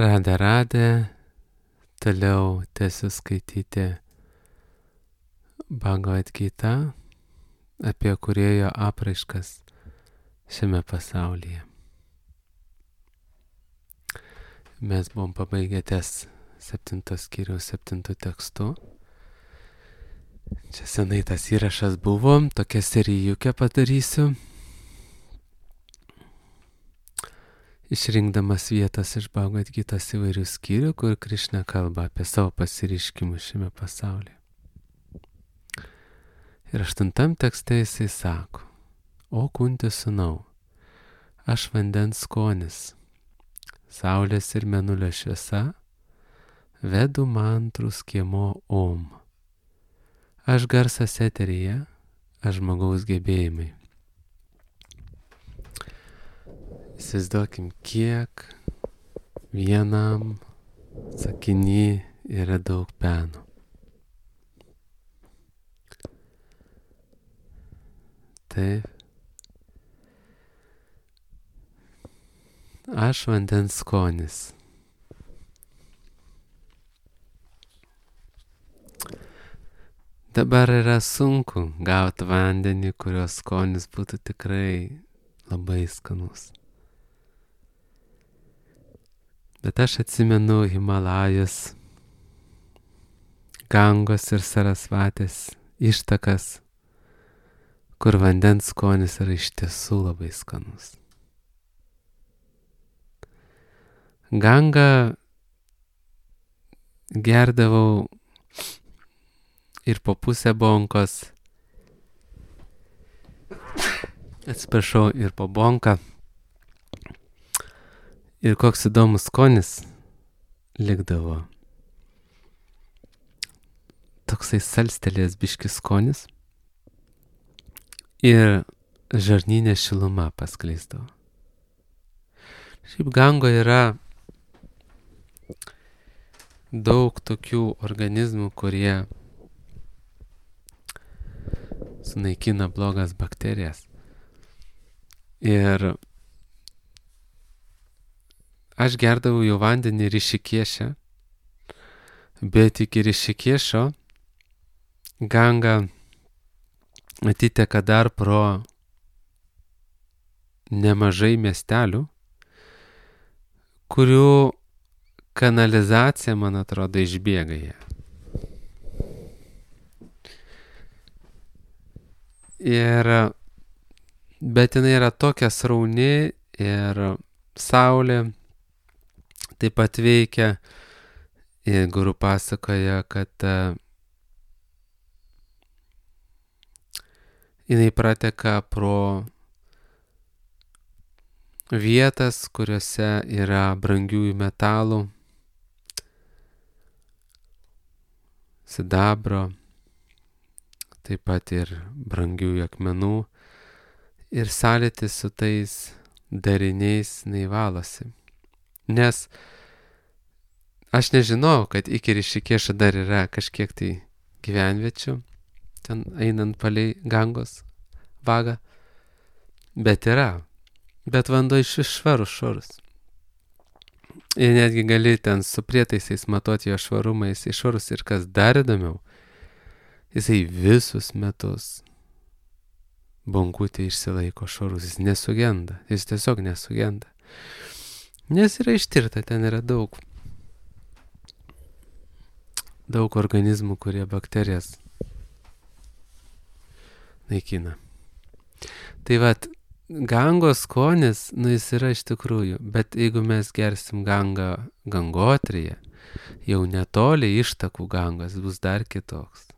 Radę, toliau tęsiu skaityti Bhagavad Gita apie kūrėjo apraiškas šiame pasaulyje. Mes buvom pabaigę ties 7 skyriaus 7 tekstu. Čia senai tas įrašas buvo, tokia serijukę padarysiu. Išrinkdamas vietas iš Bhagavad Gitos įvairių skyrių, kur Krišna kalba apie savo pasireiškimus šiame pasaulyje. Ir 8 tekste jisai sako: O Kunti sūnau, aš vandens skonis, saulės ir mėnulio šviesa, vedu mantrų skiemo Om. Aš garsas eteryje, aš žmogaus gebėjimai. Įsivaizduokim, kiek vienam sakiny yra daug peno. Taip. Aš vandens skonis. Dabar yra sunku gauti vandenį, kurio skonis būtų tikrai labai skanus. Bet aš atsimenu Himalajus, Gangos ir Sarasvatės ištakas, kur vandens skonis yra iš tiesų labai skanus. Gangą gerdavau ir po pusę bonkos, atsiprašau, ir po bonką. Ir koks įdomus skonis likdavo. Toksai salstelės biškis skonis ir žarnyne šiluma paskleisdavo. Šiaip Gango yra daug tokių organizmų, kurie sunaikina blogas bakterijas. Ir aš gerdavau jau vandenį Rišikėše, bet iki Rišikėšo Ganga atiteka dar pro nemažai miestelių, kurių kanalizacija, man atrodo, išbėga ją. Bet jinai yra tokia srauni ir saulė taip pat veikia. Ir guru pasakoja, kad jinai prateka pro vietas, kuriuose yra brangiųjų metalų, sidabro, taip pat ir brangiųjų akmenų. Ir sąlytis su tais dariniais neįvalosi. Nes aš nežinau, kad iki Rišikėšo dar yra kažkiek tai gyvenviečių, ten einant palei Gangos vagą, bet yra. Bet vanduo iš švarus. Ir netgi gali ten su prietaisais matuoti jo švarumą, jisai švarus. Ir kas dar įdomiau, jisai visus metus bonkutė išsilaiko švarus, jis nesugenda, jis tiesiog nesugenda. Nes yra ištirta, ten yra daug organizmų, kurie bakterijas naikina. Tai vat, Gangos skonis, jis yra iš tikrųjų, bet jeigu mes gersim Gangą Gangotryje, jau netoli ištakų Gangos bus dar kitoks.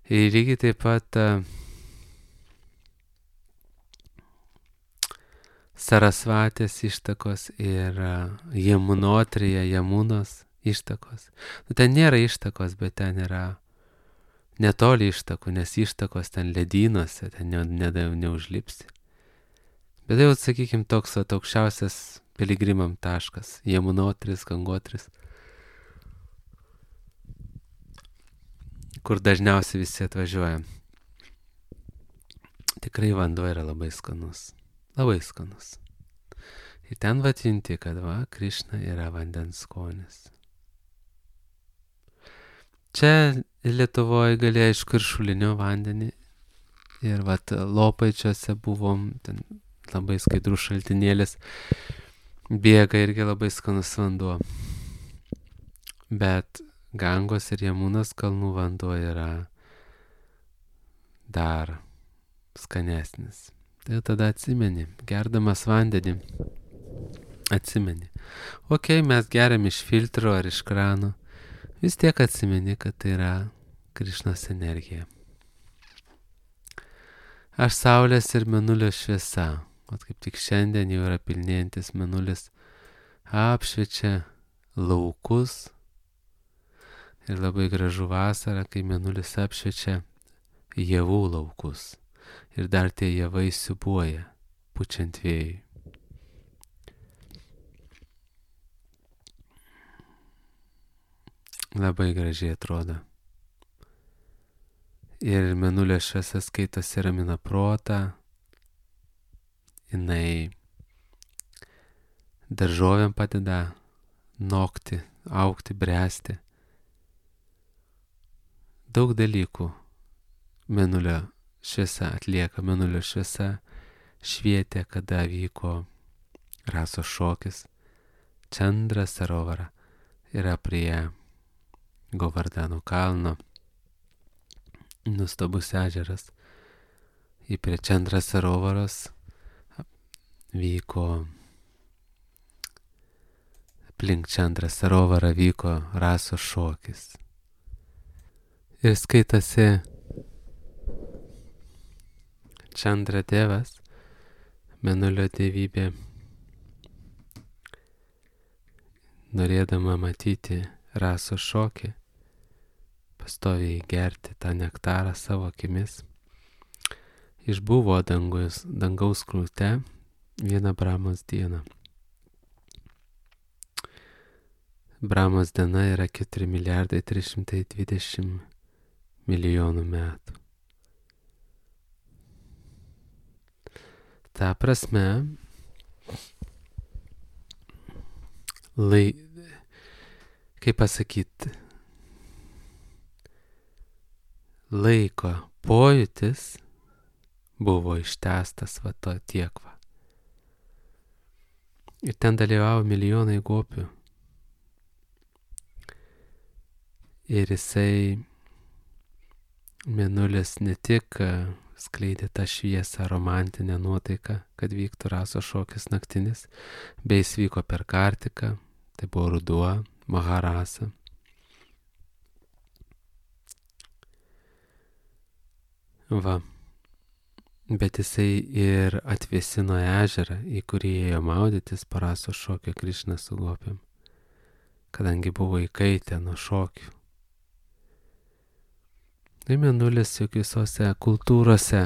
Ir lygiai taip pat Sarasvatės ištakos ir Jamunotryje, Jamunos ištakos. Ten nėra ištakos, bet ten yra netoli ištakų, nes ištakos ten ledynuose, ten neužlipsi. Bet jau, sakykime, toks aukščiausias piligrimam taškas, Jamunotris, Gangotris, kur dažniausiai visi atvažiuoja. Tikrai vanduo yra labai skanus. Labai skanus. Ir ten junti, kad Krišna yra vandens skonis. Čia Lietuvoje gali aišku ir šulinio vandenį. Ir Lopaičiuose buvom, ten labai skaidrus šaltinėlis, bėga irgi labai skanus vanduo. Bet Gangos ir Jamunos kalnų vanduo yra dar skanesnis. Tai tada atsimeni, gerdamas vandenį, atsimeni. Mes geriam iš filtro ar iš krano, vis tiek atsimeni, kad tai yra Krišnos energija. Aš saulės ir mėnulio šviesa, kaip tik šiandien jau yra pilnėjantis mėnulis, apšviečia laukus. Ir labai gražu vasara, kai mėnulis apšviečia javų laukus. Ir dar tie javai siūbuoja, pučiant vėjui. Labai gražiai atrodo. Ir mėnulio šviesa skaitosi ramina protą. Jinai daržovėm padeda nokti, augti, bręsti. Daug dalykų mėnulio šviesa atlieka. Mėnulio šviesa švietė, kada vyko rasos šokis. Čandra Sarovara yra prie Govardhano kalno. Nustabus ežeras. Į prie Čandra Sarovaros vyko, aplink Čandra Sarovarą vyko rasos šokis. Ir skaitasi Čandra tėvas, mėnulio dievybė, norėdama matyti rasos šokį, pastoviai gerti tą nektarą savo akimis, išbuvo dangaus krūte vieną Brahmos dieną. Brahmos diena yra 4 milijardai 320 milijonų metų. Ta prasme, kaip pasakyti, laiko pojūtis buvo ištęstas tiek. Ir ten dalyvavo milijonai gopių. Ir jisai, mėnulis, ne tik skleidė tą šviesą, romantinę nuotaiką, kad vyktų rasos šokis naktinis, bei jis vyko per Kartiką, tai buvo ruduo, Maharasa. Bet jisai ir atvėsino ežerą, į kurį ėjo maudytis po rasos šokio Krišna su gopiam, kadangi buvo įkaitę nuo šokių. Tai mėnulis juk visose kultūrose,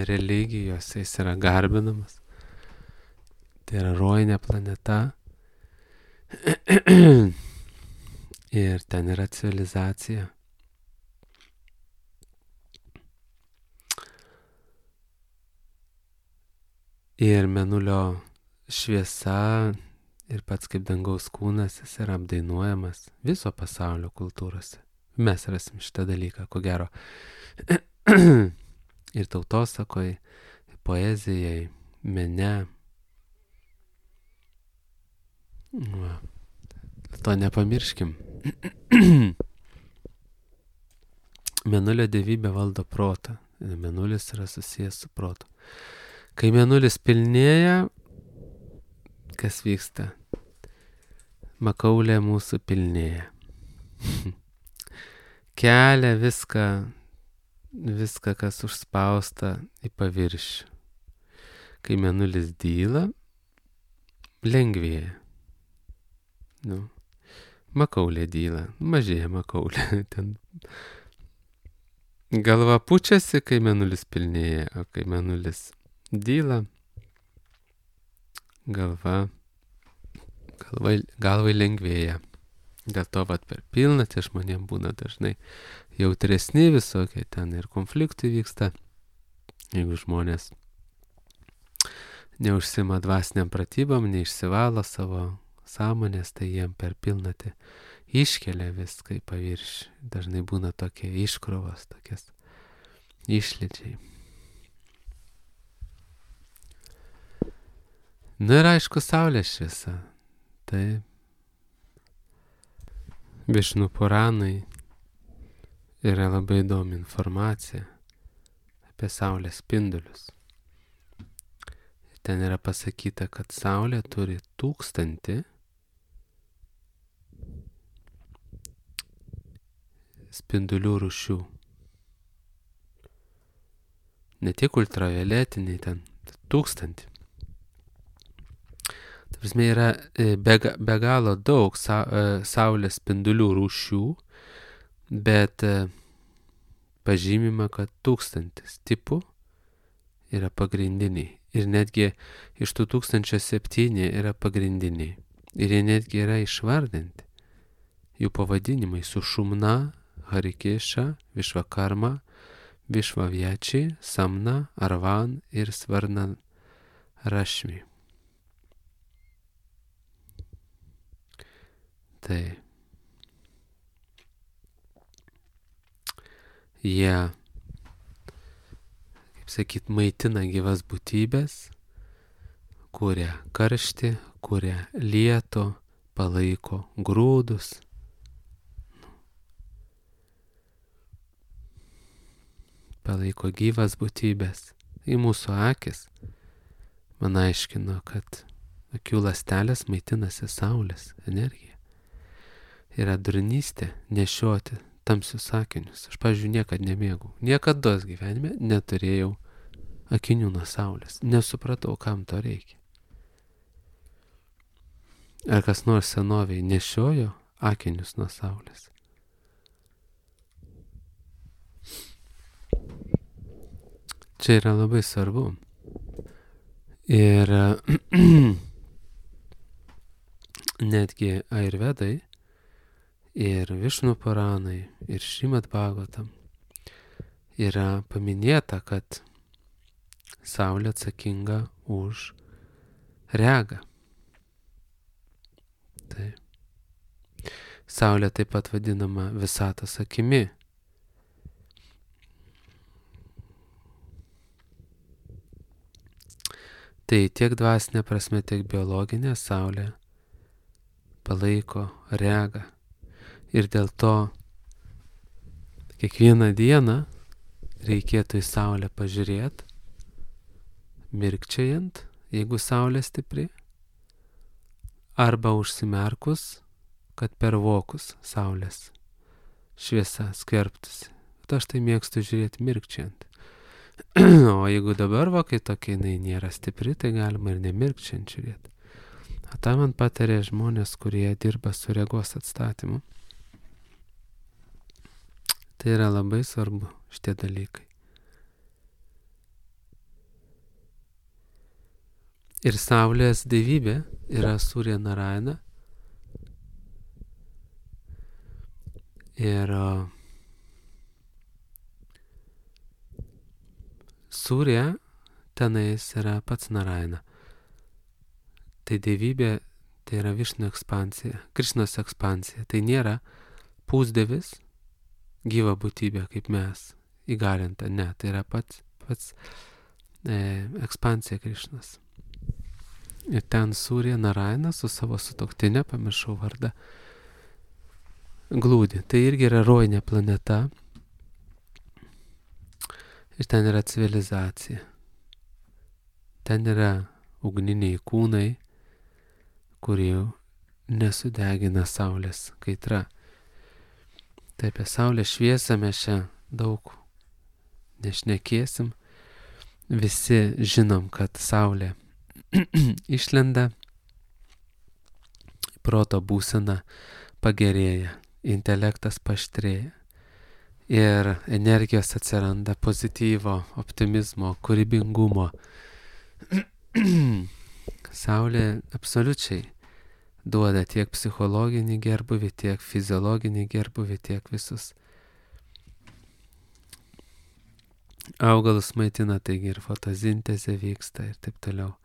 religijose jis yra garbinamas. Tai yra rojinė planeta. Ir ten yra civilizacija. Ir mėnulio šviesa ir pats kaip dangaus kūnas jis yra apdainuojamas viso pasaulio kultūrose. Mes rasim šitą dalyką, ko gero. Ir tautosakoj, poezijai, mene. To nepamirškim. Mėnulio dievybė valdo protą. Mėnulis yra susijęs su protu. Kai mėnulis pilnėja, kas vyksta? Makaulė mūsų pilnėja. Kelia viską, kas užspausta į paviršių. Kai mėnulis dyla, lengvėja. Makaulė dyla, mažėja makaulė. Ten galva pučiasi, kai mėnulis pilnėja, o kai mėnulis dyla, galvai lengvėja. Dėl to per pilnatį žmonėm būna dažnai jautresni visokie ten ir konfliktai vyksta. Jeigu žmonės neužsima dvasiniam pratybom, neišsivalo savo sąmonės, tai jiem per pilnatį iškelia viską į paviršių. Dažnai būna tokie iškrovos, tokias išlydžiai. Na ir aišku, saulės šviesa. Tai Višnu Puranai yra labai įdomi informacija apie saulės spindulius. Ten yra pasakyta, kad saulė turi 1000 spindulių rūšių. Ne tik ultravioletiniai, ten 1000. Ta prasme, yra be galo daug saulės spindulių rūšių, bet pažymima, kad 1000 tipų yra pagrindiniai. Ir netgi iš tų 1007 yra pagrindiniai. Ir jie netgi yra išvardinti. Jų pavadinimai Sušumna, Harikeša, Višvakarma, Višvaviečiai, Samna, Arvan ir Svarna Rašmi. Tai jie, kaip sakyt, maitina gyvas būtybės, kuria karštį, kuria lietų, palaiko grūdus. Palaiko gyvas būtybės. Į mūsų akis man aiškino, kad akių ląstelės maitinasi saulės energija. Yra durnystė nešioti tamsius akinius. Aš, pavyzdžiui, niekad nemėgau. Niekados gyvenime neturėjau akinių nuo saulės. Nesupratau, kam to reikia. Ar kas nors senoviai nešiojo akinius nuo saulės? Čia yra labai svarbu. Ir netgi Ayurvedai ir Višnu Puranai ir Šrimad Bhagavatam yra paminėta, kad saulė atsakinga už regą. Tai saulė taip pat vadinama visatos akimi. Tai tiek dvasinė prasme, tiek biologinė saulė palaiko regą. Ir dėl to kiekvieną dieną reikėtų į saulę pažiūrėti, mirkčiojant, jeigu saulė stipri, arba užsimerkus, kad per vokus saulės šviesa skverbtųsi. Bet aš tai mėgstu žiūrėti mirkčiojant. O jeigu dabar kai tokia jinai nėra stipri, tai galima ir nemirkčiant žiūrėti. O tą man patarė žmonės, kurie dirba su regos atstatymu. Tai yra labai svarbu šitie dalykai. Ir saulės dievybė yra Surya Narayana. Ir Surya tenais yra pats Narayana. Tai dievybė, tai yra Višnu ekspansija, Krišnos ekspansija. Tai nėra pusdievis, gyva būtybė kaip mes, įgalinta. Ne, tai yra pats ekspansija Krišnos. Ir ten Surya Narayana su savo sutuoktinė, pamiršau vardą, glūdi. Tai irgi yra rojinė planeta. Ir ten yra civilizacija. Ten yra ugniniai kūnai, kurie nesudegina saulės kaitra. Tai apie saulės šviesą mes čia daug nešnekėsim. Visi žinom, kad saulė išlenda, proto būsena pagerėja, intelektas paaštrėja. Ir energijos atsiranda pozityvo, optimizmo, kūrybingumo. Saulė absoliučiai duoda tiek psichologinį gerbuvį, tiek fiziologinį gerbuvį, tiek visus augalus maitina, taigi ir fotosintezė vyksta ir taip toliau.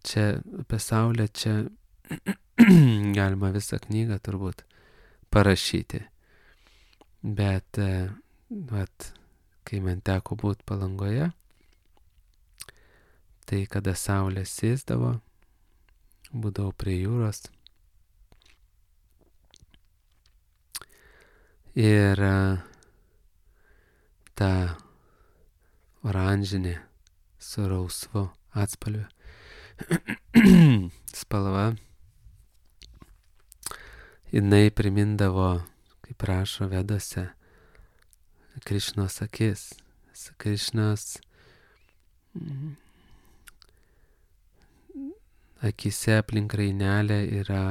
čia apie Saulę čia galima visą knygą turbūt parašyti. Bet, kai man teko būti Palangoje, tai kada Saulė sėsdavo, būdavau prie jūros. Ir ta oranžinė su rausvu atspalviu spalva, jinai primindavo, kaip rašo Vedose, Krišnos akis. Krišnos akise aplink rainelę yra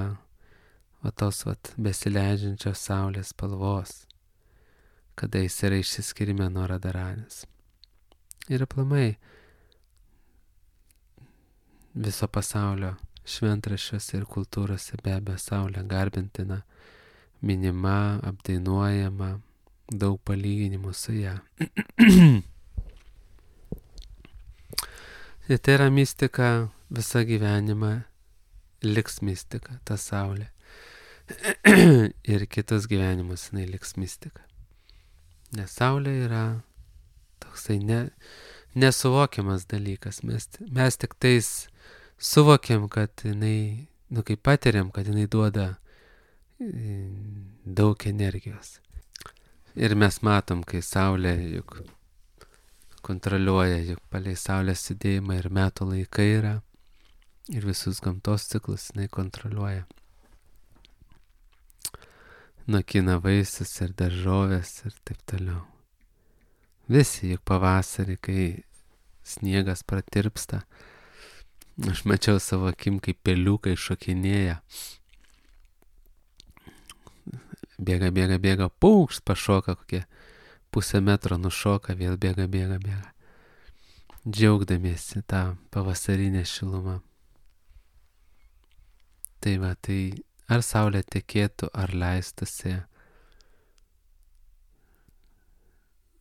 tos besileidžiančios saulės spalvos, kada jis yra išsiskyrime nuo Radharanės. Ir aplamai viso pasaulio šventraščiuose ir kultūrose be abejo Saulė garbintina, minima, apdainuojama, daug palyginimų su ją. Ir tai yra mistika, visą gyvenimą liks mistika, ta Saulė. Ir kitus gyvenimus jinai liks mistika. Nes Saulė yra toksai nesuvokiamas dalykas. Mes tik tais suvokiam, kad jinai, kai patiriam, kad jinai duoda daug energijos. Ir mes matom, kai Saulė juk kontroliuoja, juk palei Saulės judėjimą ir metų laikai yra, ir visus gamtos ciklus jinai kontroliuoja. Nokina vaisius ir daržovės ir taip toliau. Visi juk pavasarį, kai sniegas pratirpsta, aš mačiau savo akim, kaip peliukai šokinėja. Bėga, paukšt, pašoka kokie pusę metro, nušoka, vėl bėga. Džiaugdamiesi tą pavasarinę šilumą. Tai ar Saulė tekėtų, ar leistųsi,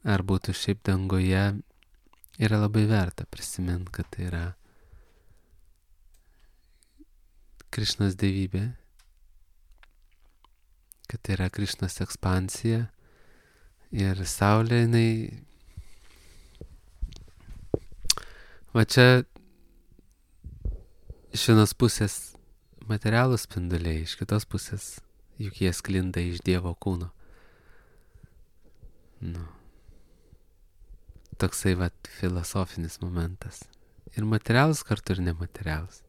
ar būtų šiaip dangoje, yra labai verta prisiminti, kad tai yra Krišnos dievybė, kad tai yra Krišnos ekspansija ir Saulė, jinai, čia iš vienos pusės materialūs spinduliai, iš kitos pusės juk jie sklinda iš Dievo kūno. Toksai filosofinis momentas. Ir materialus kartu ir nematerialus.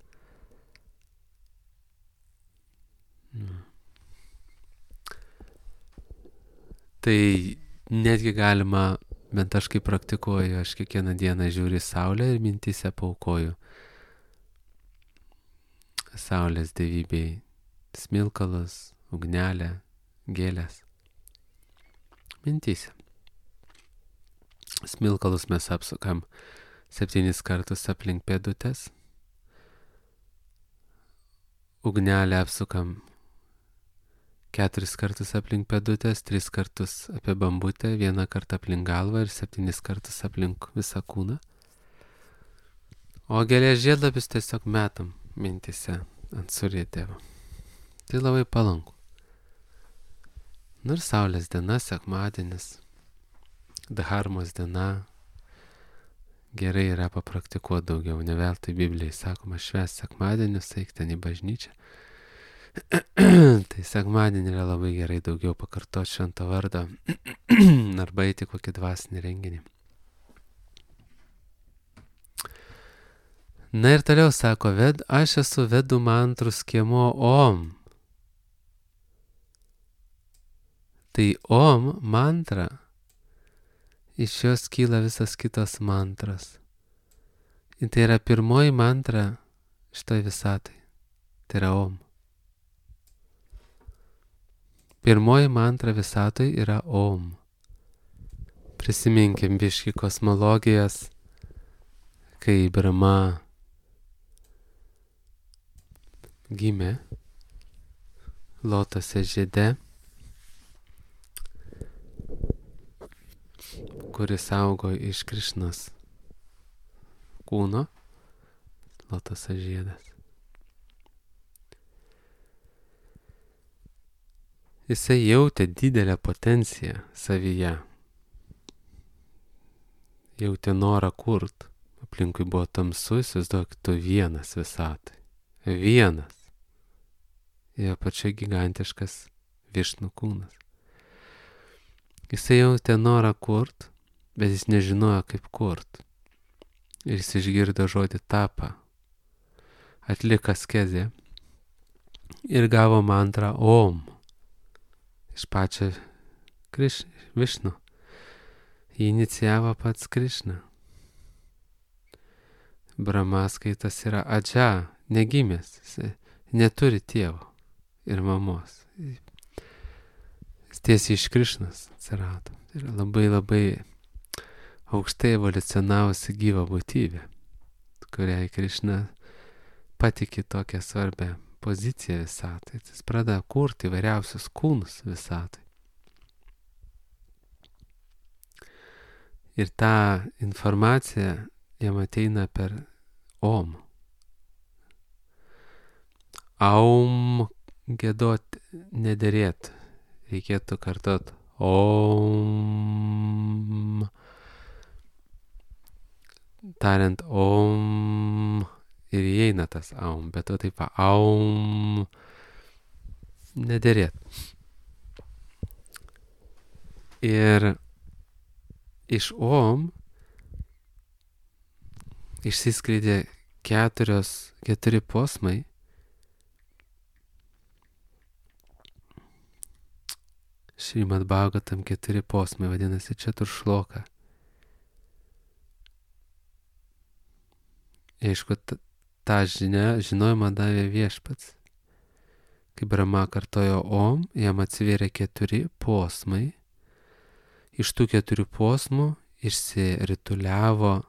Tai netgi galima, bent aš kaip praktikuoju, aš kiekvieną dieną žiūriu Saulę ir mintyse paaukoju Saulės dievybei smilkalus, ugnelę, gėlės. Mintyse. Smilkalus mes apsukam 7 kartus aplink pėdutės. Ugnelę apsukam 4 kartus aplink pėdutės, 3 kartus apie bambutę, 1 kartą aplink galvą ir 7 kartus aplink visą kūną. O gėlės žiedlapius tiesiog metam mintyse ant surėtėvo. Tai labai palanku. Ir Saulės diena, sekmadienis, dharmos diena. Gerai yra papraktikuoti daugiau, ne veltui Biblijai sakoma, švęst sekmadienius, eik ten į bažnyčią. Tai sekmadienį yra labai gerai daugiau pakartoti švento vardo arba eiti kokį dvasinį renginį. Na ir toliau sako, aš esu vedų mantrų skiemuo Om. Tai Om mantra, iš jos kyla visas kitos mantros. Ir tai yra pirmoji mantra šitoj visatai. Tai yra Om. Pirmoji mantra visatoj yra Om. Prisiminkim biškį kosmologijas, kai Brahma gimė lotose žiede, kuris augo iš Krišnos kūno, lotoso žiedas. Jisai jautė didelę potenciją savyje. Jautė norą kurt. Aplinkui buvo tamsu, įsivaizduok, tu vienas visatai. Vienas. Jo pačia gigantiškas Višnų kūnas. Jisai jautė norą kurt, bet jis nežinojo kaip kurt. Ir jis išgirdo žodį tapa. Atliko askezę ir gavo mantrą Om. Iš pačio Višnų. Jį inicijavo pats Krišna. Brahmaskaitas yra adža, negimęs, jis neturi tėvo ir mamos. Jis tiesiai iš Krišnos atsirado. Tai yra labai labai aukštai evoliucionavusi gyva būtybė, kuriai Krišna patikė tokią svarbę poziciją visatai. Jis pradeda kurti įvairiausius kūnus visatai. Ir ta informacija jam ateina per Om. Aum giedot nederėtų. Reikėtų kartot Om. Tariant Om ir įeina tas Aum, bet to taip Aum nederėtų. Ir iš Om išsiskleidė keturi posmai. Šrimad Bhagavatam 4 posmai vadinasi Četuršloka. Aišku, tą žinojimą davė Viešpats. Kai Brahma kartojo Om, jam atsivėrė 4 posmai. Iš tų 4 posmų išsirituliavo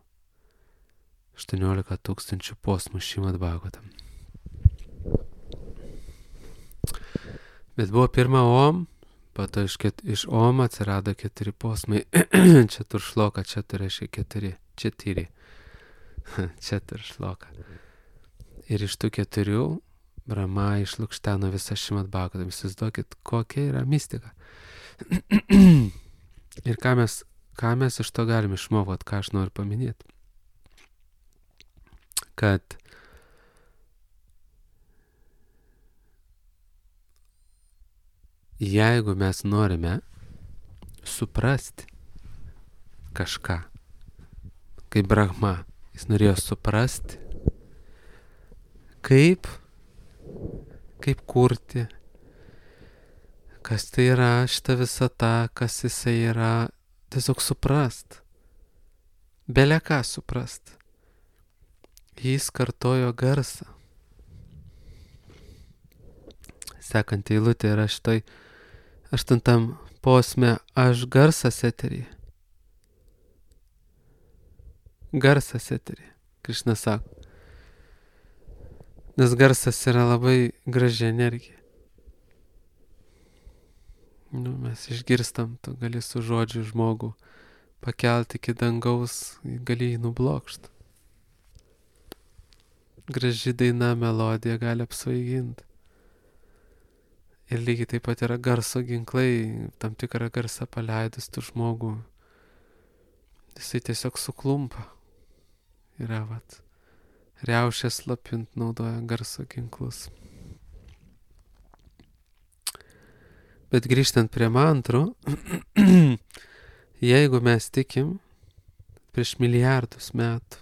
18 000 posmų Šrimad Bhagavatam. Bet buvo pirma Om, po to iš Om atsirado 4 posmai. Četuršloka, čia reiškia 4. Četuršloka. Ir iš tų 4 Brahma išlukšteno visą Šrimad Bhagavatam. Įsivaizduokit, kokia yra mistika. Ir ką mes iš to galime išmokti, ką aš noriu paminėti. Kad jeigu mes norime suprasti kažką, kaip Brahma, jis norėjo suprasti, kaip kurti, kas tai yra šita visata, kas jisai yra, tiesiog suprast, bele ką suprast. Jis kartojo garsą. Sekant eilutė yra šitoj 8 posme aš garsas eteryje. Garsas eteryje. Krišna sako. Nes garsas yra labai graži energija. Mes išgirstam, tu gali su žodžiu žmogų pakelti iki dangaus, gali jį nublokšti. Graži daina, melodija gali apsvaiginti. Ir lygiai taip pat yra garso ginklai, tam tikrą garsą paleidus tu žmogų, jisai tiesiog suklumpa. Yra riaušės slapint naudoja garso ginklus. Bet grįžtant prie mantrų, jeigu mes tikim prieš milijardus metų,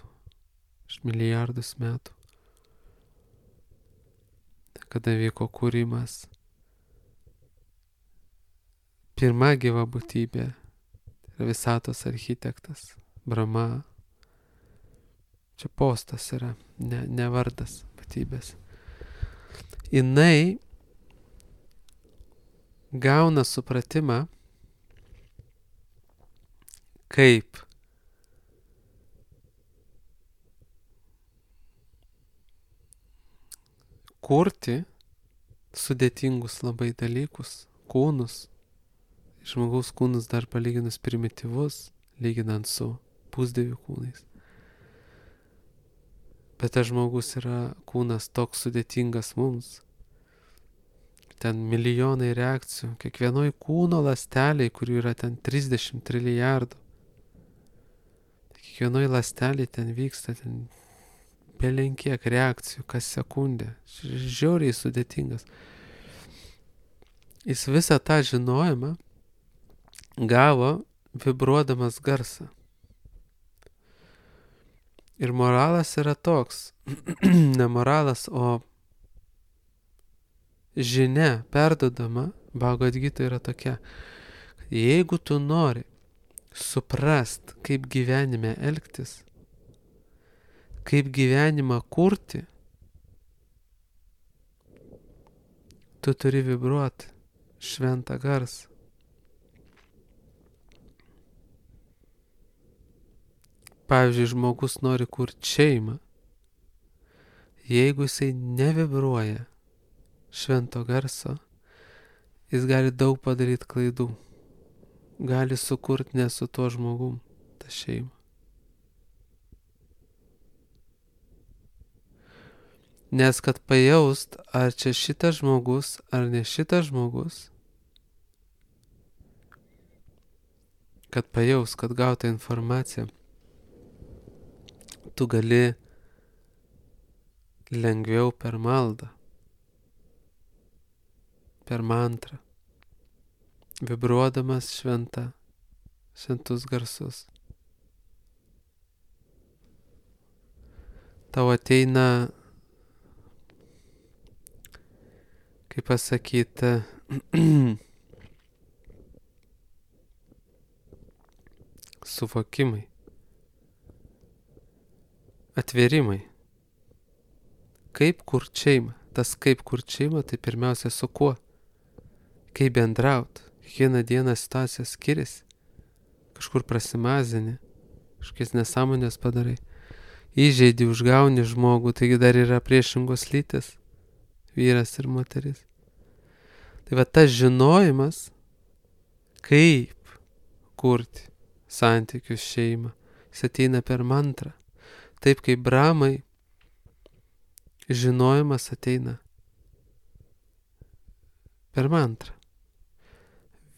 kada vyko kūrimas, pirma gyva būtybė, yra visatos architektas, Brahma, čia postas yra, ne vardas būtybės. Jinai gauna supratimą, kaip kurti sudėtingus labai dalykus, kūnus. Žmogaus kūnas dar palyginus primityvus, lyginant su pusdievių kūnais. Bet tas žmogus yra kūnas toks sudėtingas mums. Ten milijonai reakcijų, kiekvienoj kūno ląsteliai, kurių yra ten 30 trilijardų. Kiekvienoj ląsteliai ten vyksta ten belenkiek reakcijų kas sekundę. Žiauriai sudėtingas. Jis visą tą žinojimą gavo vibruodamas garsą. Ir moralas yra toks, ne moralas, o žinia perdodama Bhagavad Gita yra tokia, kad jeigu tu nori suprast, kaip gyvenime elgtis, kaip gyvenimą kurti, tu turi vibruoti šventą garsą. Pavyzdžiui, žmogus nori kurti šeimą. Jeigu jisai nevibruoja švento garso, jis gali daug padaryti klaidų. Gali sukurti ne su tuo žmogum tą šeimą. Nes kad pajaust, ar čia šitas žmogus, ar ne šitas žmogus, kad pajaust, kad gauta informacija, tu gali lengviau per maldą, per mantrą, vibruodamas šventus garsus. Tau ateina, kaip pasakyti, suvokimai, atvėrimai. Kaip kurt šeimą? Tas kaip kurt šeimą, tai pirmiausia su kuo? Kaip bendraut? Kiekvieną dieną situacija skiriasi. Kažkur prasimazini, kažkokias nesąmonės padarai. Įžeidi, užgauni žmogų, taigi dar yra priešingos lytis, vyras ir moteris. Tai va tas žinojimas, kaip kurti santykius šeimą, jis ateina per mantrą. Taip kaip Brahmai, žinojimas ateina per mantrą.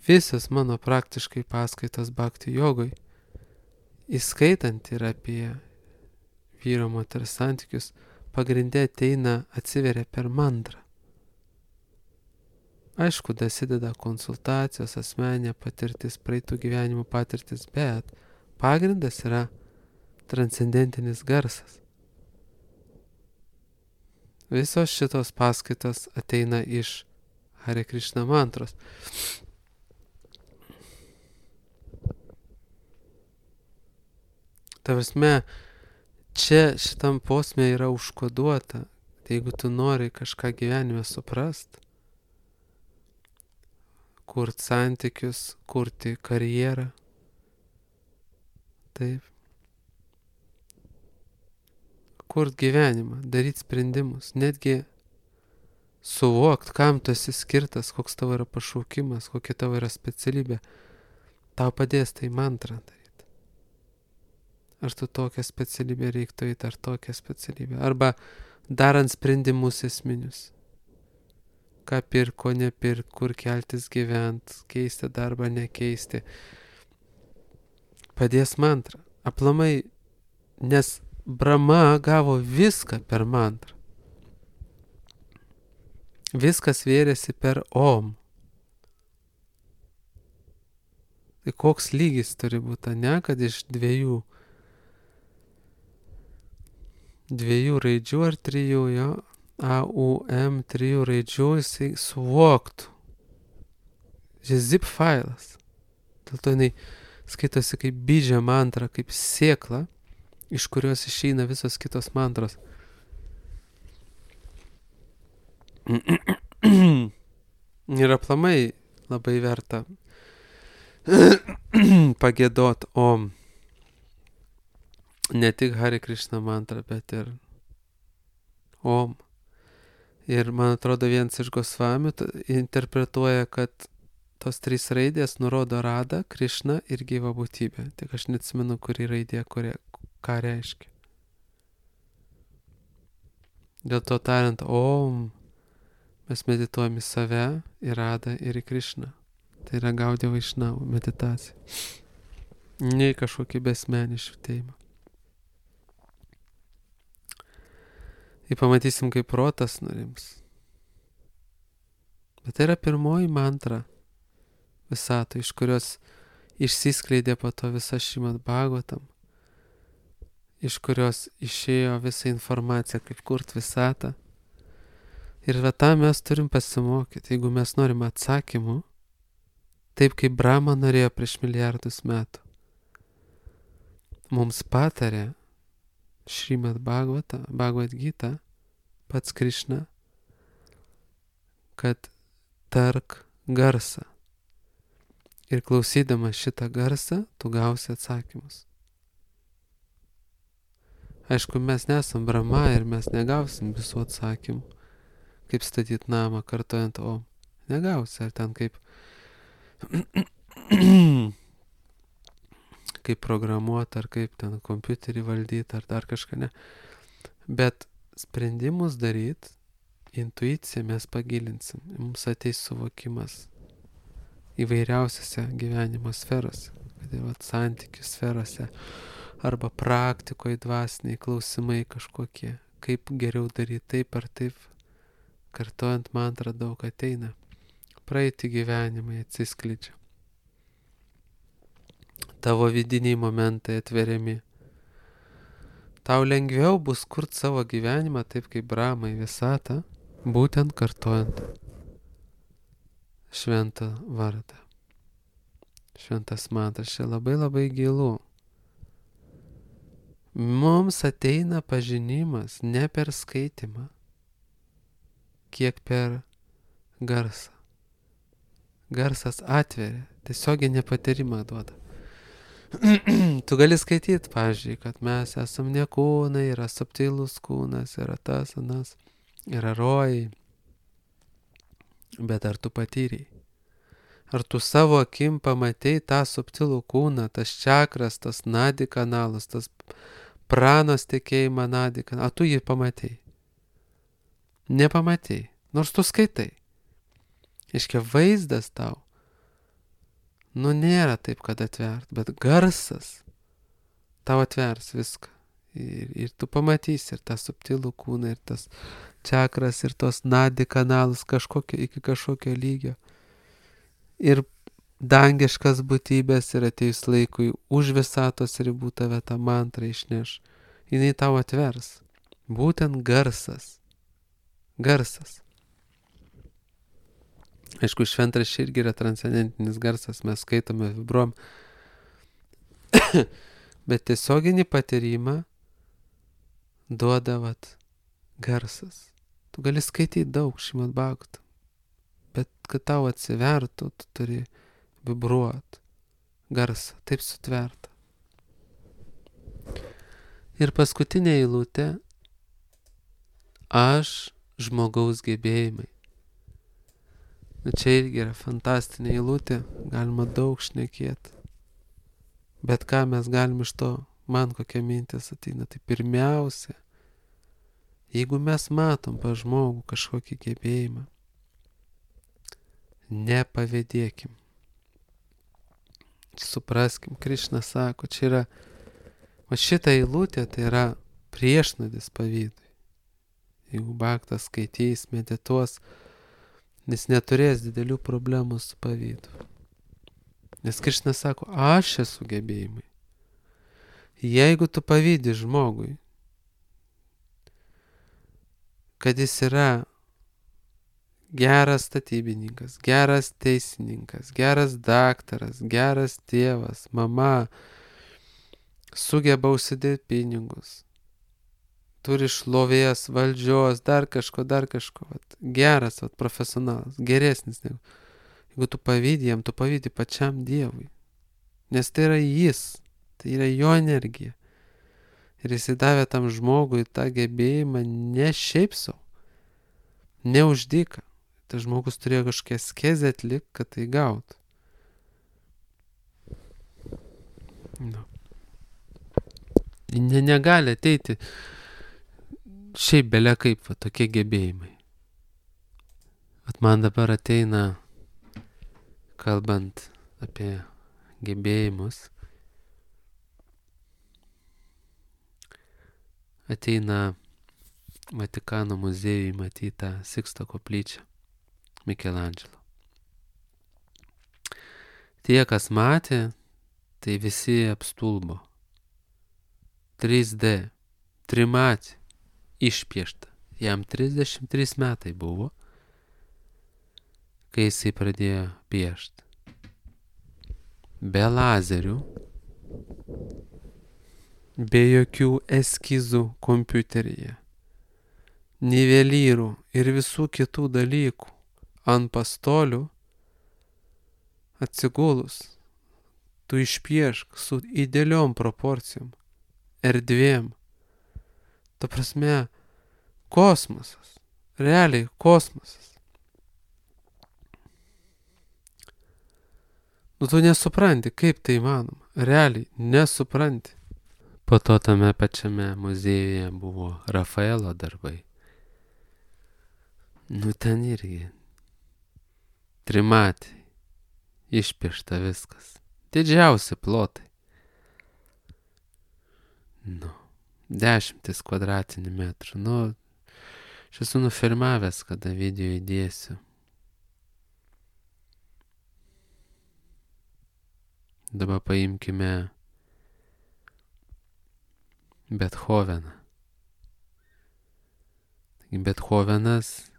Visas mano praktiškai paskaitos bhakti jogoj, įskaitant ir apie vyro moters santykius, pagrindė ateina, atsiveria per mantrą. Aišku, dasideda konsultacijos, asmeninė patirtis, praeitų gyvenimų patirtis, bet pagrindas yra transcendentinis garsas. Visos šitos paskaitos ateina iš Hare Krishna mantros. Ta prasme, čia šitam posme yra užkoduota, tai jeigu tu nori kažką gyvenime suprast, kurt santykius, kurti karjerą, taip, kurt gyvenimą, daryti sprendimus, netgi suvokt, kam tu esi skirtas, koks tavo yra pašaukimas, kokia tavo yra specialybė, tau padės tai mantrą daryti. Ar tu tokią specialybę reiktų eiti, ar tokią specialybę, arba darant sprendimus esminius. Ką pirk, ko nepirk, kur keltis gyvent, keisti darbą, nekeisti. Padės mantrą. Aplamai, nes Brahma gavo viską per mantrą. Viskas vėrėsi per Om. Tai koks lygis turi būti, ne, kad iš dviejų raidžių ar trijų, jo, A, U, M, 3 raidžių jisai suvoktų. Zip failas. Dėl to jinai skaitosi kaip bidžia mantra, kaip sėkla, iš kurios išeina visos kitos mantros. Ir aplamai labai verta pagėdot Om. Ne tik Hare Krishna mantra, bet ir Om. Ir man atrodo, vienas iš Gosvamių interpretuoja, kad tos 3 raidės nurodo Radą, Krishną ir gyvą būtybę. Tik aš neatsimenu, kuri raidė, ką reiškia. Dėl to tariant, mes medituojam į save, į Radą ir į Krišną. Tai yra Gaudiya Vaišnava meditacija. Ne į kažkokį besmenį švitėjimą. Ir pamatysim, kaip protas nurims. Bet tai yra pirmoji mantra visato, iš kurios išsiskleidė po to visa Šrimad Bhagavatam, iš kurios išėjo visa informacija, kaip kurt visatą. Ir va tą mes turim pasimokyti, jeigu mes norim atsakymų, taip kaip Brahma norėjo prieš milijardus metų. Mums patarė Šrimad Bhagavad Gita, pats Krišna, kad tark garsą. Ir klausydamas šitą garsą, tu gausi atsakymus. Aišku, mes nesam Brahma ir mes negausim visų atsakymų. Kaip statyti namą kartojant Om. Negausi, ar ten kaip kaip programuoti, ar kaip ten kompiuterį valdyti, ar dar kažką ne. Bet sprendimus daryti, intuiciją mes pagilinsim. Mums ateis suvokimas įvairiausiose gyvenimo sferose, kad ir santykių sferose, arba praktikoje dvasiniai klausimai kažkokie, kaip geriau daryti taip ar taip, kartojant mantrą daug ateina, praeiti gyvenimai atsiskleidžia, tavo vidiniai momentai atveriami, tau lengviau bus kurti savo gyvenimą taip kaip Brahma į visatą, būtent kartojant šventą vardą. Šventas mantras čia labai gilu. Mums ateina pažinimas ne per skaitimą, kiek per garsą. Garsas atveria, tiesioginį patyrimą duoda. Tu gali skaityti, pavyzdžiui, kad mes esam ne kūnai, yra subtilus kūnas, yra tas, anas, yra rojai. Bet ar tu patyrei? Ar tu savo akim pamatei tą subtilų kūną, tas čakras, tas nadi kanalas, tas pranos tekėjimą nadi kanalas? Ar tu jį pamatei? Nepamatei, nors tu skaitai. Iškia vaizdas tau. Nėra taip, kad atvert, bet garsas tau atvers viską. Ir tu pamatysi ir tą subtilų kūną, ir tas čakras, ir tos nadi kanalus iki kažkokio lygio. Ir dangiškas būtybės ir ateis laikui už visatos ribų tave tą mantrą išneš. Jinai tau atvers. Būtent garsas. Garsas. Aišku, šventraščiai irgi yra transcendentinis garsas, mes skaitome, vibruom. Bet tiesioginį patyrimą duoda garsas. Tu gali skaityti daug Šrimad Bhagavatam, bet kad tau atsivertų, tu turi vibruoti garsą, taip sutverta. Ir paskutinė eilutė - aš žmogaus gebėjimai. Čia irgi yra fantastinė eilutė, galima daug šnekėti. Bet ką mes galim iš to, man kokia mintis ateina, tai pirmiausia, jeigu mes matom pa žmogų kažkokį gebėjimą, nepavydėkim. Supraskim, Krišna sako, čia yra, o šitą eilutę tai yra priešnodis pavydui. Jeigu bhaktas skaitys, medituos, jis neturės didelių problemų su pavydu. Nes Krišna sako, aš esu gebėjimai. Jeigu tu pavydi žmogui, kad jis yra geras statybininkas, geras teisininkas, geras daktaras, geras tėvas, mama, sugeba užsidirbti pinigus, turi šlovės, valdžios, dar kažko, geras, profesionalas, geresnis negu. Jeigu tu pavydi jam, tu pavydi pačiam Dievui, nes tai yra jis, tai yra jo energija. Ir jis įdavė tam žmogui tą gebėjimą ne šiaip savo, ne už dyką. Tas žmogus turėjo kažkokią askezę atlikti, kad tai gautų. Negali ateiti šiaip belia kaip va, tokie gebėjimai. Vat man dabar ateina, kalbant apie gebėjimus, ateina Vatikano muziejui matytą Siksto koplyčią Mikelandželo. Tie, kas matė, tai visi apstulbo. 3D, trimatė, išpiešta. Jam 33 metai buvo, kai jisai pradėjo piešti. Be lazerių, be jokių eskizų kompiuteryje, nivelyrų ir visų kitų dalykų ant pastolių atsigulus. Tu išpiešk su idealiom proporcijom, erdvėm. Ta prasme, kosmosas. Realiai kosmosas. Tu nesupranti, kaip tai įmanoma. Realiai nesupranti. Po to tame pačiame muziejuje buvo Rafaelo darbai. Ten irgi trimatį. Išpiešta viskas. Didžiausi plotai. 10 kvadratinių metrų. Aš esu nufilmavęs, kada video įdėsiu. Dabar paimkime Bethoveną. Bethovenas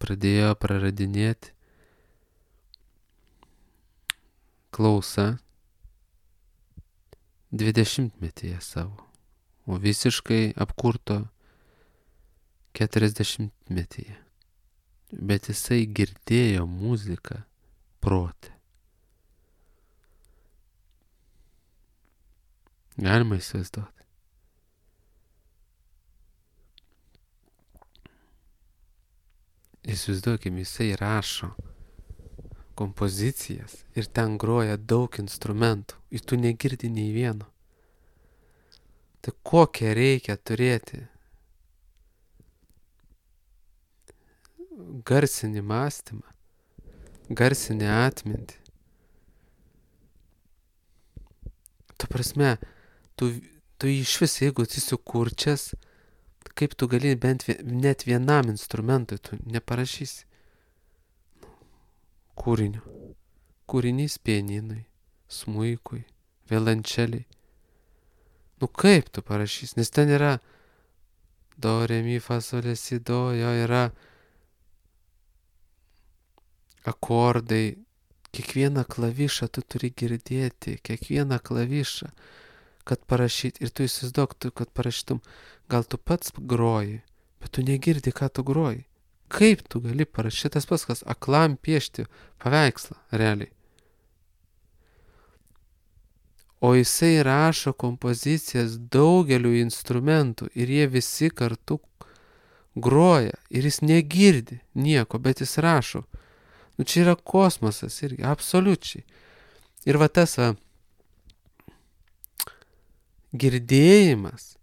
pradėjo praradinėti klausą 20-metyje savo, o visiškai apkurto 40-metyje. Bet jisai girdėjo muziką prote. Galima įsivaizduoti. Įsivaizduokim, jisai rašo kompozicijas ir ten groja daug instrumentų ir tu negirdi nei vieno. Tai kokią reikia turėti garsinį mąstymą, garsinį atmintį. Ta prasme, tu iš vis, jeigu esi kurčias, kaip tu gali net vienam instrumentui tu neparašysi kūrinio. Kūrinys pianinui, smuikui, violončeliai. Kaip tu parašysi? Nes ten yra do, re, mi, fa, sol, la, si, do, jo yra akordai. Kiekvieną klavišą tu turi girdėti, kiekvieną klavišą, kad parašyti. Ir tu įsivaizduok, kad parašytum, gal tu pats groji, bet tu negirdi, ką tu groji. Kaip tu gali parašyti tas pats, kas aklam piešti paveikslą, realiai. O jisai rašo kompozicijas daugeliu instrumentų ir jie visi kartu groja ir jis negirdi nieko, bet jis rašo. Čia yra kosmosas irgi, absoliučiai. Ir va tas girdėjimas,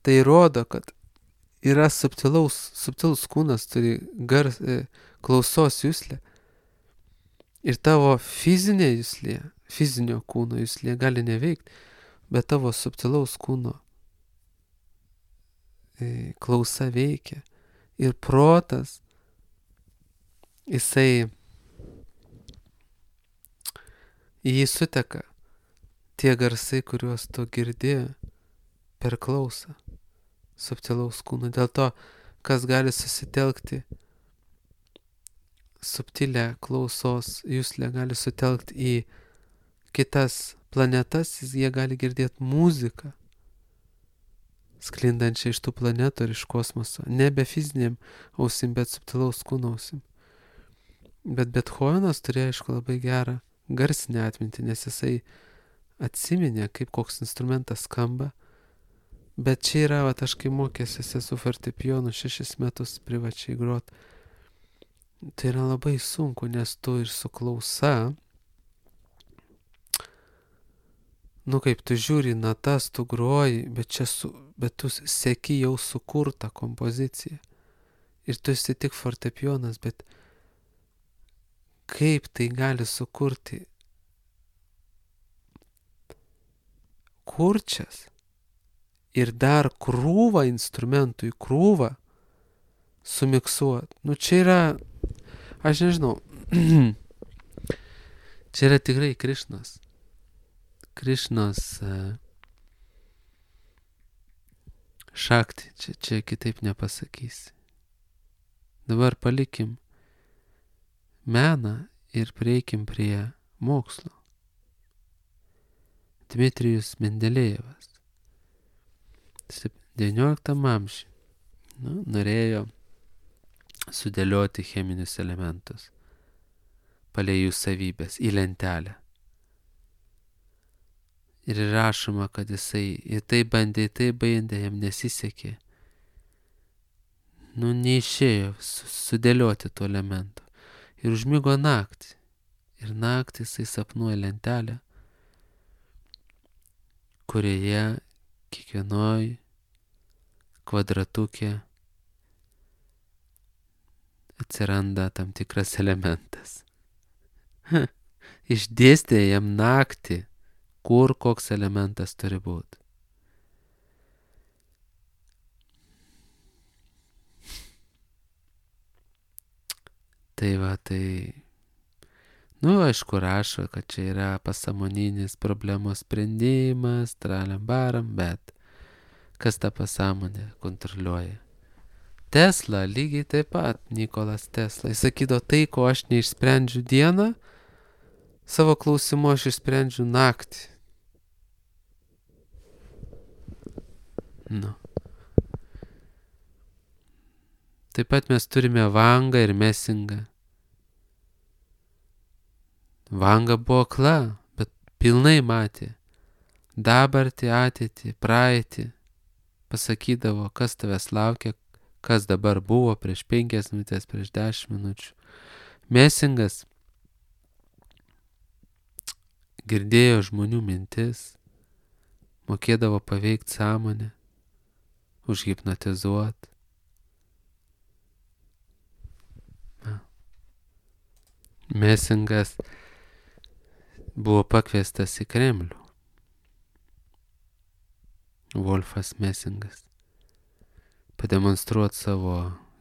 tai rodo, kad yra subtilus kūnas, turi klausos juslę. Ir tavo fizinė juslė, fizinio kūno juslė gali neveikti, bet tavo subtilaus kūno klausa veikia. Ir protas, jisai į jį suteka tie garsai, kuriuos tu girdi per klausą subtilaus kūno. Dėl to, kas gali susitelkti subtilę klausos juslę, gali sutelkti į kitas planetas, jie gali girdėti muziką sklindančią iš tų planetų ir iš kosmoso. Nebe fiziniam ausim, bet subtilaus kūno ausim. Bet Bethovenas turėjo, aišku, labai gerą garsinę atmintį, nes jisai atsiminė, kaip koks instrumentas skamba. Bet čia yra, aš kai mokėsi su fortepijonu 6 metus privačiai grot, tai yra labai sunku, nes tu ir su klausa Nu kaip tu žiūri natas, tu groji, bet tu seki jau sukurtą kompoziciją. Ir tu esi tik fortepijonas, bet kaip tai gali sukurti kurčias ir dar krūvą instrumentų į krūvą sumiksuot. Nu čia yra, aš nežinau, čia yra tikrai Krišnos. Krišnos šakti, čia kitaip nepasakysi. Dabar palikim meną ir prieikim prie mokslo. Dmitrijus Mendelejevas 19 amžiuje norėjo sudėlioti cheminius elementus palei jų savybės į lentelę. Ir rašoma, kad jisai į tai bandė, jam nesisekė. Neišėjo sudėlioti tų elementų. Ir užmigo naktį. Ir naktį jisai sapnuoja lentelę, kurioje kiekvienoj kvadratukė atsiranda tam tikras elementas. Išdėstė jam naktį, kur koks elementas turi būti. Tai va, aišku, rašo, kad čia yra pasąmoninis problemos sprendimas, tralembaram, bet kas tą pasąmonę kontroliuoja? Tesla, lygiai taip pat, Nikolas Tesla. Jis sakydavo, tai, ko aš neišsprendžiu dieną, savo klausimu aš išsprendžiu naktį. Taip pat mes turime Vangą ir Mesingą. Vanga buvo akla, bet pilnai matė dabartį, ateitį, praeitį. Pasakydavo, kas tavęs laukia, kas dabar buvo prieš 5 minutės, prieš 10 minučių. Mesingas girdėjo žmonių mintis, mokėdavo paveikti sąmonę, užhipnotizuoti. Mesingas buvo pakviestas į Kremlių. Wolfas Mesingas. Pademonstruoti savo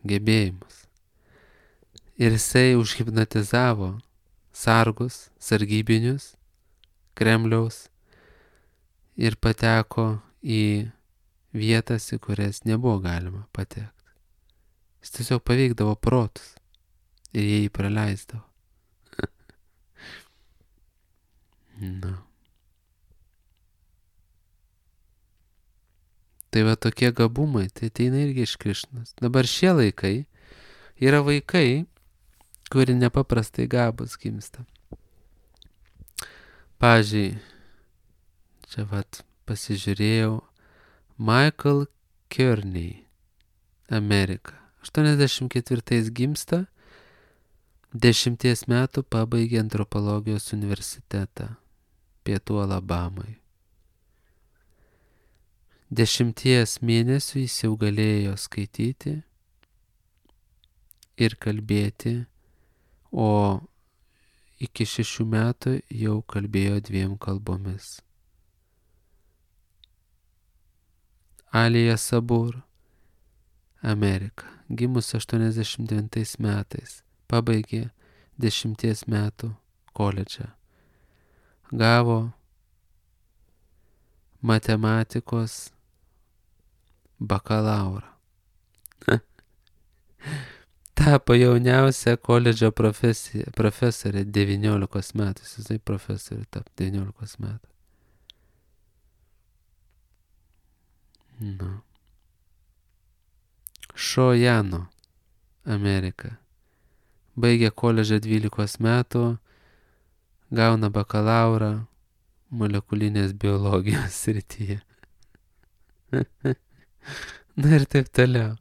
gebėjimus. Ir jisai užhipnotizavo sargus, sargybinius Kremliaus ir pateko į vietas, į kurias nebuvo galima patekti. Jis tiesiog paveikdavo protus ir jie jį praleisdavo. Tai va tokie gabumai, tai ateina irgi iš Krišnos. Dabar šie laikai yra vaikai, kurie nepaprastai gabūs gimsta. Pavyzdžiui, čia pasižiūrėjau Michael Kearney, Amerika. 84 gimsta, 10 metų pabaigė antropologijos universitetą Pietų Alabamai. 10 mėnesių jis jau galėjo skaityti ir kalbėti, o iki 6 metų jau kalbėjo 2 kalbomis. Alija Sabur, Amerika, gimus 89 metais, pabaigė 10 metų koledžą. Gavo matematikos bakalaurą. Tapo jauniausia koledžo profesorė 19 metų. Jisai profesorių tapo 19 metų. Šojano, Amerika. Baigė koledžą 12 metų, gauna bakalaurą molekulinės biologijos srityje. Ir taip toliau.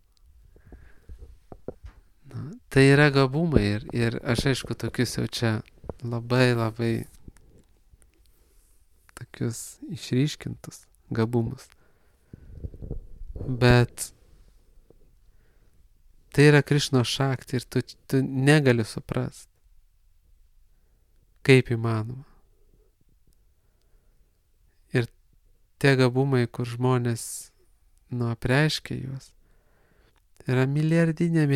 Tai yra gabumai ir aš aišku tokius jau čia labai tokius išryškintus gabumus. Bet tai yra Krišnos šakti ir tu negali suprast, kaip įmanoma. Ir tie gabumai, kur žmonės apreiškia juos, yra milijardinė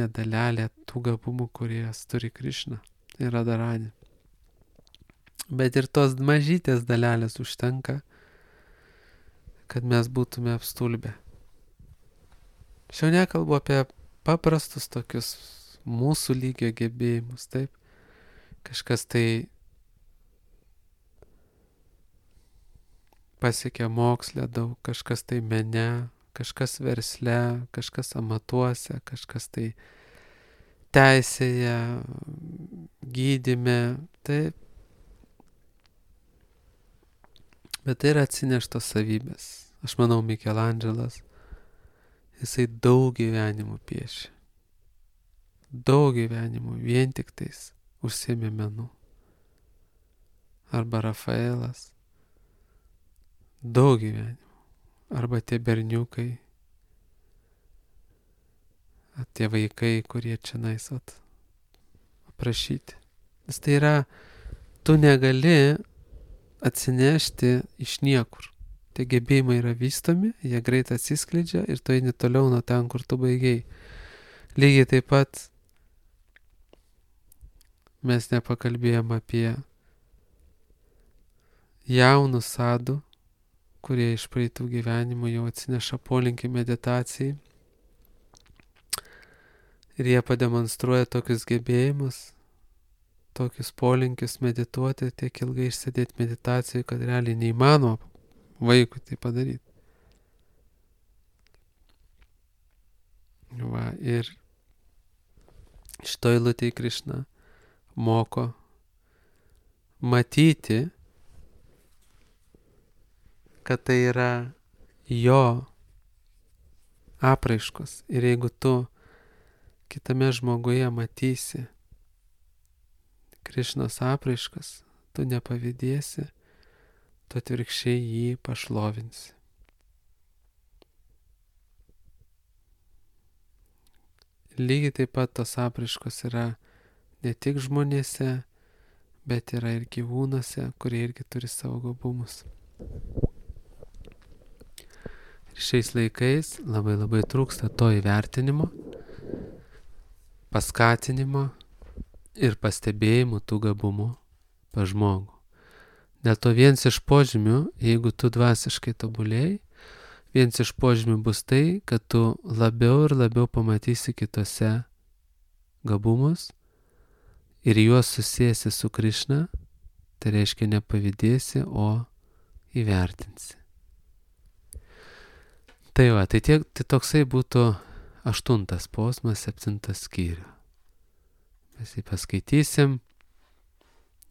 dalelė tų gabumų, kurie turi Krišna ir Radharani. Bet ir tos mažytės dalelės užtenka, kad mes būtume apstulbę. Aš jau nekalbu apie paprastus tokius mūsų lygio gebėjimus, taip? Kažkas tai pasiekia moksle daug, kažkas tai mene, kažkas versle, kažkas amatuose, kažkas tai teisėje, gydyme, taip. Bet tai yra atsineštos savybės. Aš manau, Mikelandželas, jisai daug gyvenimų piešė. Daug gyvenimų vien tik tais užsiėmė menu. Arba Rafaelas. Daug gyvenimų. Arba tie berniukai. Tie vaikai, kurie čia aprašyti. Nes tai yra, tu negali atsinešti iš niekur. Tie gebėjimai yra vystomi, jie greit atsiskleidžia ir tu eini toliau nuo ten, kur tu baigei. Lygiai taip pat mes nepakalbėjom apie jaunų sadų, kurie iš praeitų gyvenimų jau atsineša polinkį meditacijai. Ir jie pademonstruoja tokius gebėjimus, tokius polinkius medituoti, tiek ilgai išsėdėti meditacijai, kad realiai neįmanoma vaikui tai padaryti. Va, ir šito eilutėje Krišna moko matyti, kad tai yra jo apraiškos. Ir jeigu tu kitame žmoguje matysi Krišnos apraiškas, tu nepavydėsi, tu atvirkščiai jį pašlovinsi. Lygiai taip pat tos apraiškos yra ne tik žmonėse, bet yra ir gyvūnuose, kurie irgi turi savo gabumus. Ir šiais laikais labai trūksta to įvertinimo, paskatinimo ir pastebėjimų tų gabumų pas žmogų. Dėl to vienas iš požymių, jeigu tu dvasiškai tobulėjai, vienas iš požymių bus tai, kad tu labiau ir labiau pamatysi kitose gabumus ir juos susijęsi su Krišna, tai reiškia nepavydėsi, o įvertinsi. Tai va, tai toksai būtų 8 posmas 7 skyrių. Mes jį paskaitysim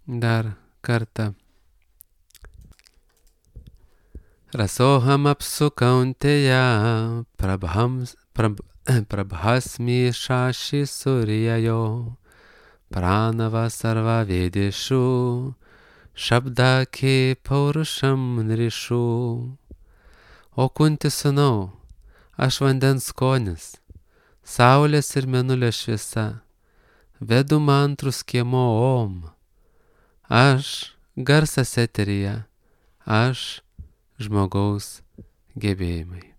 dar kartą. Rasoham apsu kaunteya prabhasmi shashi suryayo pranava sarva vedeshu shabda ke paurusham nrishu. O Kunti sūnau, aš vandens skonis, saulės ir mėnulio šviesa, vedu mantrus kiemo om, aš garsas eteryje, aš žmogaus gebėjimai.